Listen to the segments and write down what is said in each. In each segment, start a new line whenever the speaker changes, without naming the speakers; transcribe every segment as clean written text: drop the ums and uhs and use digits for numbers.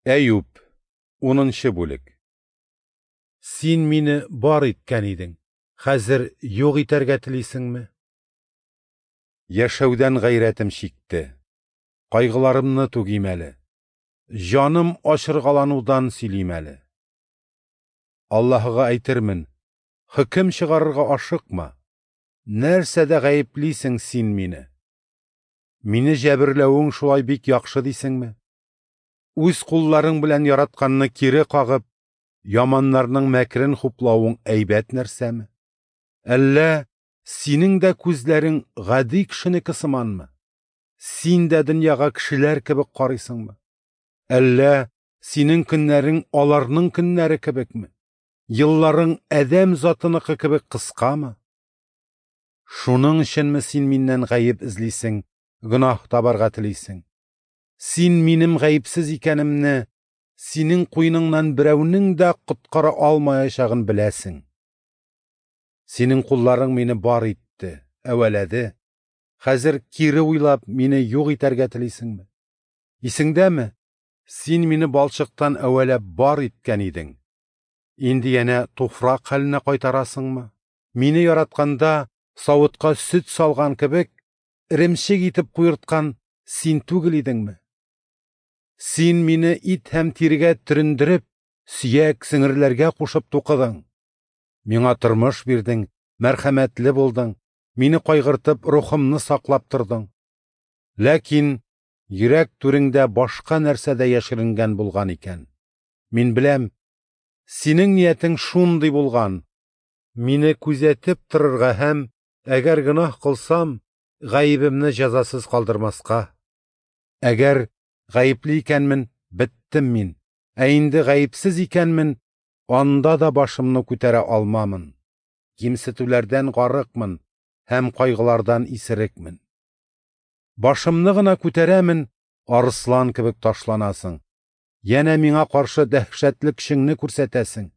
Әюп, 10 бүлек. Син мине бар иткән идең, хәзер юк итәргә телисеңме? Яшәүдән гайрәтем чикте. Кайгыларымны түгим әле. Җаным ачыргаланудан сөйлим әле. Аллаһыга әйтермен: хөкем чыгарырга ашыкма. Нәрсәдә гаеплисең син мине? Мине җәберләвең шулай бик яхшы дисеңме? Үз кулларың белән яратканны кире кагып, яманнарның мәкрен хуплавың әйбәт нәрсәме? Әллә синең дә күзләрең гади кешенеке сыманмы? Син дә дөньяга кешеләр кебек карыйсыңмы? Әллә синең көннәрең аларның көннәре кебекме? Елларың адәм затыныкы кебек кыскамы? Шуның өченме син миннән гаеп эзлисең, гөнаһ табарга телисең? Син минем гаепсез икәнемне, синең куеныңнан берәүнең дә коткара алмаячагын беләсең. Синең кулларың мине бар итте, әвәләде. Хәзер кире уйлап, мине юк итәргә телисеңме? Исеңдәме? Син мине балчыктан әвәләп бар иткән идең. Инде янә туфрак хәленә кайтарасыңмы? Мине яратканда савытка сөт салган кебек, эремчек итеп куерткан син түгел идеңме? Син мине ит һәм тирегә төрендереп, сөяк сеңерләргә кушып тукыдың. Миңа тормыш бирдең, мәрхәмәтле булдың, мине кайгыртып, рухымны саклап тордың. Ләкин йөрәк түреңдә башка нәрсә дә яшеренгән булган икән. Мин беләм, синең ниятең шундый булган: мине күзәтеп торырга һәм, әгәр гөнаһ кылсам, гаебемне җәзасыз калдырмаска. Әгәр гаепле икәнмен, беттем мин. Ә инде гаепсез икәнмен, анда да башымны күтәрә алмамын. Кимсетүләрдән гарыкмын һәм кайгылардан исерекмен. Башымны гына күтәрәмен, арыслан кебек ташланасың. Янә миңа каршы дәһшәтле көчеңне күрсәтәсең.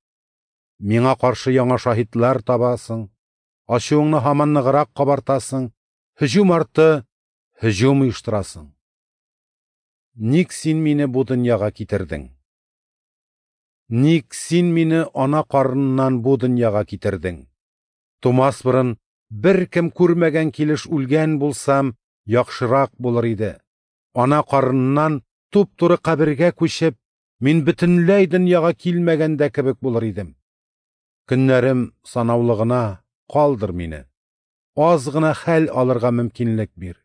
Миңа каршы яңа шаһитлар табасың. Ачуыңны һаман ныграк кабартасың. Һөҗүм арты һөҗүм оештырасың. Ник син мине бу дөньяга китердең? Ник син мине ана карыныннан бу дөньяга китердең? Тумас борын беркем күрмәгән килеш үлгән булсам, яхшырак булыр иде. Ана карыныннан туп-туры кабергә күчеп, мин бөтенләй дөньяга килмәгән дә кебек булыр идем. Көннәрем санаулы гына, калдыр мине. Аз гына хәл алырга мөмкинлек бир.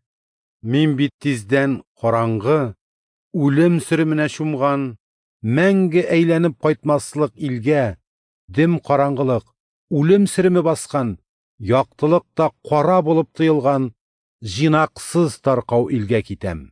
Мин бит тиздән караңгы, үлем сөременә чумган, мәңге әйләнеп кайтмаслык илгә, дөм караңгылык, үлем сөреме баскан, яктылык та кара булып тоелган, җыйнаксыз таркау илгә китәм.